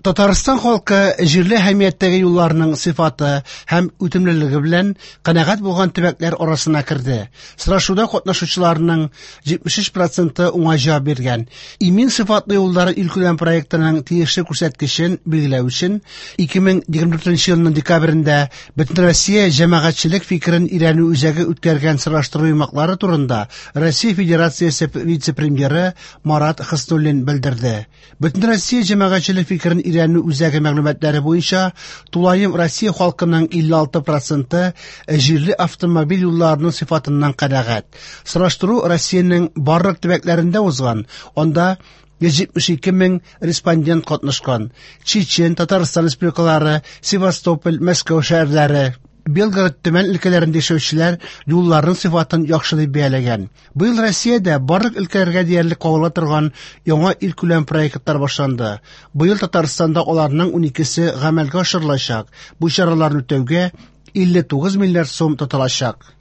Татарстан халкы җирле әһәмияттәге юлларның сыйфаты һәм үтемлелеге белән канәгать булган төбәкләр арасына керде. Сорашуда катнашучыларның 73 проценты уңай җавап биргән. Имин сыйфатлы юллар илкүләм проектының тиешле күрсәткечен билгеләү өчен 2024 елның декабрендә Бөтенроссия җәмәгатьчелек фикерен өйрәнү үзәге үткәргән сораштыру йомгаклары турында Россия Федерациясе вице-премьеры Марат Хөснуллин белдерде. Бөтенроссия җәмәгатьчелек фикерен өйрәнү үзәге мәгълүматлары буенча, тулаем Россия халкының 56 проценты җирле автомобиль юлларының сыйфатыннан канәгать. Сораштыру Россиянең барлык төбәкләрендә узган. Анда 172 мең респондент катнашкан. Чечен, Татарстан республикалары, Севастополь, Мәскәү шәһәрләре, Белгород, Төмән өлкәләрендә яшәүчеләр юлларның сыйфатын яхшы дип бәяләгән. Быел Россиядә барлык өлкәләргә диярлек кагыла торган яңа илкүләм проектлар башланды. Быел Татарстанда аларның 12-се гамәлгә ашырылачак. Бу чараларны үтәүгә 59 миллиард сум тотылачак.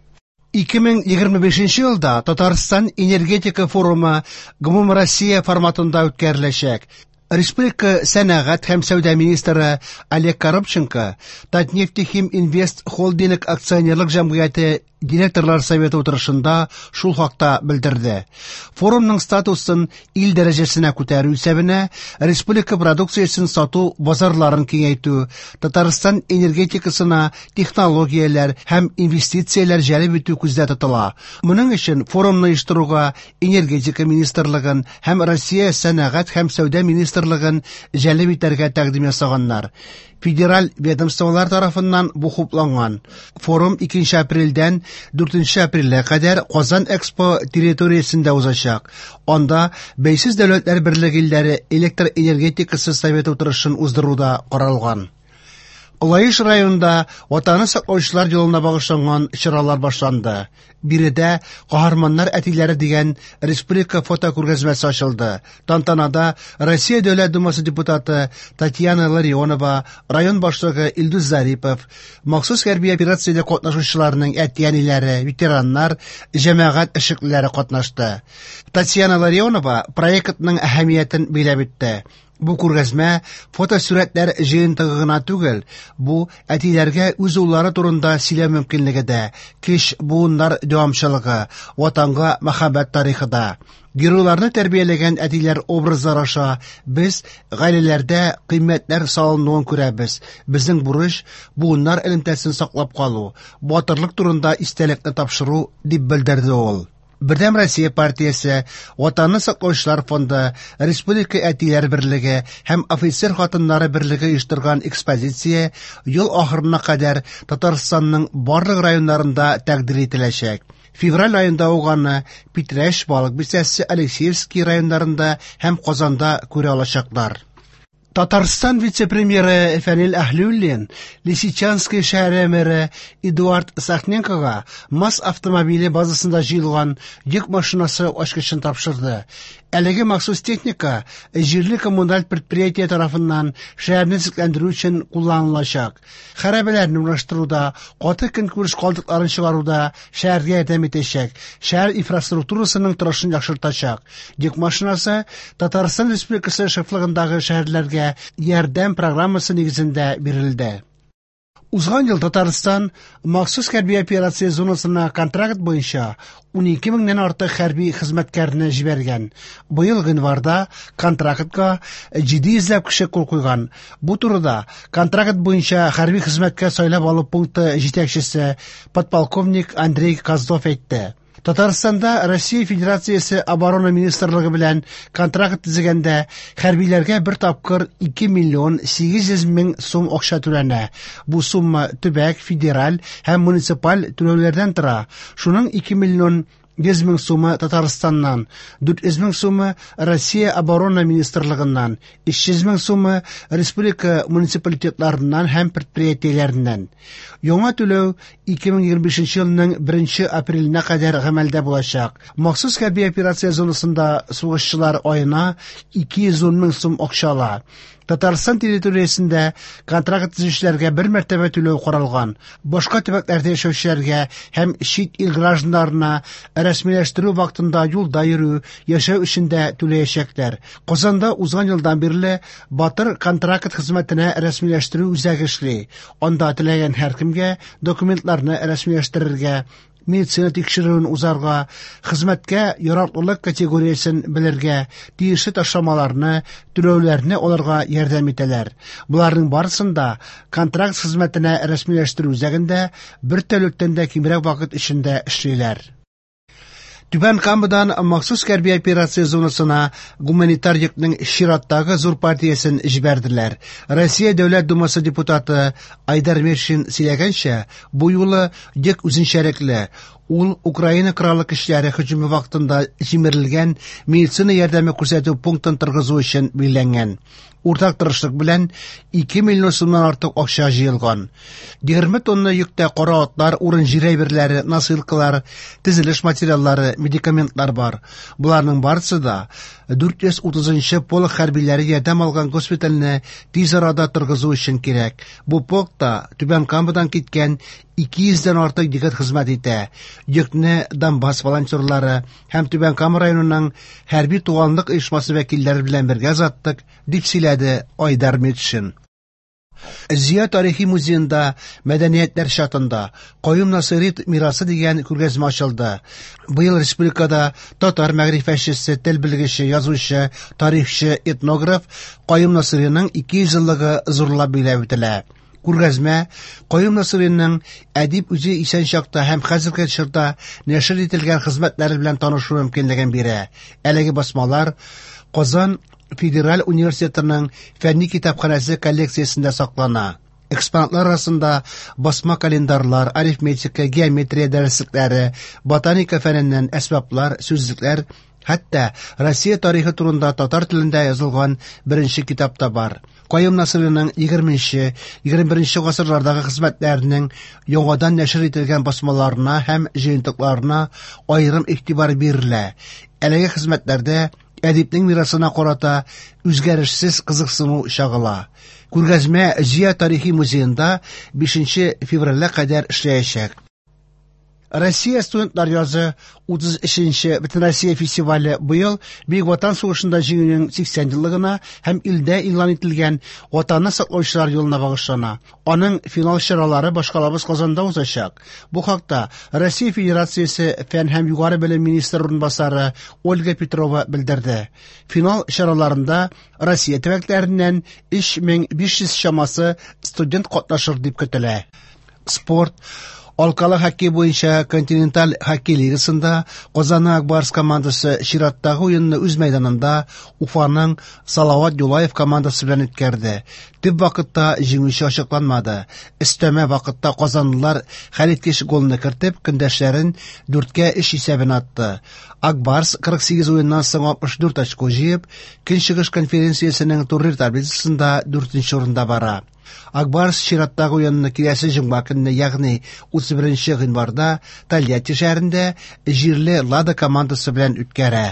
2025 елда Татарстан энергетика форумы гомумроссия форматында үткәреләчәк. Республика сәнәгать һәм сәүдә министры Олег Коробченко Татнефтехим Инвест Холдинг акционерлык җәмгыяте директорлар советы утырышында шул хакта белдерде. Форумның статусын ил дәрәҗәсенә күтәрү исәбенә республика продукциясен сату базарларын киңәйтү, Татарстан энергетикасына технологияләр һәм инвестицияләр җәлеп итү күздә тотыла. Моның өчен форумны оештыруга Энергетика министрлыгын һәм Россия сәнәгать һәм сәүдә министрлыгын җәлеп итәргә тәкъдим ясаганнар. Федераль ведомстволар тарафыннан бу хупланган. Форум 2 апрельдән 4 апрельгә кадәр Казан Экспо территориясендә узачак. Анда Бәйсез Дәүләтләр Берлеге илләре электр энергетикасы советы утырышын уздыру да каралган. Лаеш районында Ватанны саклаучылар елына багышланган чаралар башланды. Биредә Каһарманнар әтиләре дигән республика фотокүргәзмәсе ачылды. Тантанада Россия Дәүләт Думасы депутаты Татьяна Ларионова, район башлыгы Илдус Зарипов, махсус хәрби операциядә катнашучыларның әти-әниләре, ветераннар, җәмәгать эшлеклеләре катнашты. Татьяна Ларионова проектның әһәмиятен биләп үтте. Бу күргәзмә фотосурәтләр җыентыгы гына түгел, бу әтиләргә үз уллары турында сөйләү мөмкинлеге дә, кеч буыннар дәвамчылыгы, ватанга мәхәббәт тарихы да. Геройларны тәрбияләгән әтиләр образлары аша без гаиләләрдә кыйммәтләр салынуын күрәбез. Безнең бурыч буыннар элемтәсен саклап калу, батырлык турында истәлекне тапшыру, дип белдерде ул. Бердәм Россия партиясе, Ватанны саклаучылар фонды, Республика әтиләр берлеге һәм офицер хатыннары берлеге оештырган экспозиция ел ахырына кадәр Татарстанның барлык районнарында тәкъдир ителәчәк. Февраль аенда ук аны Питрәч, Балык Бистәсе, Алексеевский районнарында һәм Казанда күрә алачаклар. Татарстан вице-премьеры Фәнил Әһлиуллин Лисичанский шәһәре мэры Эдуард Сахненкога МАЗ автомобиле базасында җыелган йөк машинасы ачкычын тапшырды. Әлеге махсус техника җирле коммуналь предприятие тарафыннан шәһәрне төзекләндерү өчен кулланылачак. Хәрабәләрне урнаштыруда, каты көнкүреш калдыкларын чыгаруда шәһәргә ярдәм итәчәк, шәһәр инфраструктурасының торышын яхшыртачак. Йөк машинасы Татарстан Республикасы шефлыгындагы шәһәрләргә ярдәм программасы нигезендә бирелде. Узган ел Татарстан махсус хәрби операция зонасына контракт буенча 12 меңнән артык хәрби хезмәткәрне җибәргән. Быел гыйнварда контрактка 700 ләп кеше кул куйган. Бу турыда контракт буенча хәрби хезмәткә сайлап алу пункты җитәкчесе подполковник Андрей Козлов әйтте. Татарстанда Россия Федерациясе Оборона министрлыгы белән контракт төзегәндә хәрбиләргә бер тапкыр 2 миллион 800 мең сум акча түләнә. Бу сумма төбәк, федераль һәм муниципаль түләүләрдән тора. Шуның 2 миллион 100 мең сумы Татарстаннан, 400 мең сумы Россия Оборона министрлыгыннан, 300 мең сумы республика муниципалитетларыннан һәм предприятиеләреннән. Яңа түләү 2025 елның 1 апреленә кадәр гамәлдә булачак. Махсус хәрби операция зонасында сугышчылар аена 210 мең сум акча ала. Татарстан территориясендә контракт төзүчеләргә бер мәртәбә түләү каралган. Башка төбәкләрдә яшәүчеләргә һәм чит ил гражданнарына рәсмиләштерү вакытында юлда йөрү, яшәү өчен дә түләячәкләр. Казанда узган елдан бирле Батыр контракт хезмәтенә рәсмиләштерү үзәге эшли. Анда теләгән һәркемгә документларны рәсмиләштерергә, медицина тикшерүен узарга, хезмәткә яраклылык категориясен белергә, тиешле ташламаларны, түләүләрне алырга ярдәм итәләр. Боларның барысын да контракт хезмәтенә рәсмиләштерү үзәгендә бер тәүлектән дә кимрәк вакыт эчендә эшлиләр. Түбән Камадан махсус хәрби операция зонасына гуманитар йөкнең чираттагы зур партиясен җибәрделәр. Россия Дәүләт Думасы депутаты Айдар Метшин сөйләгәнчә, бу юлы йөк үзенчәлекле. Ул Украина Кораллы көчләре һөҗүме вакытында җимерелгән медицина ярдәме күрсәтү пунктын торгызу өчен билгеләнгән. Уртак тырышлык белән 2 миллион сумнан артык акча җыелган. 20 тонна йөктә кара атлар, урын-җир әйберләре, носилкалар, төзелеш материаллары, медикаментлар бар. Боларның барысы да 430 нчы полк хәрбиләре ярдәм алган госпитальне тиз арада торгызу өчен кирәк. Бу полкта Түбән Камадан киткән 200 дән артык егет хезмәт итә. Йөкне Донбасс волонтерлары һәм Түбән Кама районының хәрби туганлык оешмасы вәкилләре белән бергә озаттык, дип сөйләде Айдар Метшин. Зөя тарихи музеенда Мәдәниятләр чатында Каюм Насыйри мирасы дигән күргәзмә ачылды. Быел республикада татар мәгърифәтчесе, тел белгече, язучы, тарихчы, этнограф Каюм Насыйриның 200 еллыгы зурлап билгеләп үтелә. Күргәзмә Каюм Насыйриның әдип үзе исән чакта һәм хәзерге чорда нәшер ителгән хезмәтләре белән танышу мөмкинлеген бирә. Әлеге басмалар Казан федераль университетының фәнни китапханәсе коллекциясендә саклана. Экспонатлар арасында басма календарьлар, арифметика, геометрия дәреслекләре, ботаника фәненнән әсбаплар, сүзлекләр, хәтта Россия тарихы турында татар телендә язылган беренче китап та бар. Каюм Насыйриның 20-нче, 21-нче гасырлардагы хезмәтләренең яңадан нәшер ителгән басмаларына һәм җыентыкларына аерым игътибар бирелә. Әлеге хезмәтләрдә әдипнең мирасына карата үзгәрешсез кызыксыну чагыла. Күргәзмә Зөя тарихи музеенда 5 февральгә кадәр эшләячәк. Россия студентлар язы 33 нче Бөтенроссия фестивале быел Бөек Ватан сугышында җиңүнең 80 еллыгына һәм илдә игълан ителгән Ватанны саклаучылар елына багышлана. Аның финал чаралары башкалабыз Казанда узачак. Бу хакта Россия Федерациясе фән һәм югары белем министры урынбасары Ольга Петрова белдерде. Финал чараларында Россия төбәкләреннән 3500 чамасы студент катнашыр дип көтелә. Спорт Алкалы хоккей буенча континенталь хоккей лигасында Казанның Ак Барс командасы чираттагы уенны үз мәйданында Уфаның Салават Юлаев командасы белән үткәрде. Төп вакытта җиңүче ачыкланмады. Өстәмә вакытта казанлылар хәлиткеч голны кертеп, көндәшләрен 4-3 исәбен атты. Ак Барс 48 уеннан соң 64 очко җыеп, Көнчыгыш конференциясенең турнир таблицасында 4 урында бара. Ак Барс чираттагы уенны киләсе җомга көнне, ягъни 31 гыйнварда Тольятти шәһәрендә җирле Лада командасы белән үткәрә.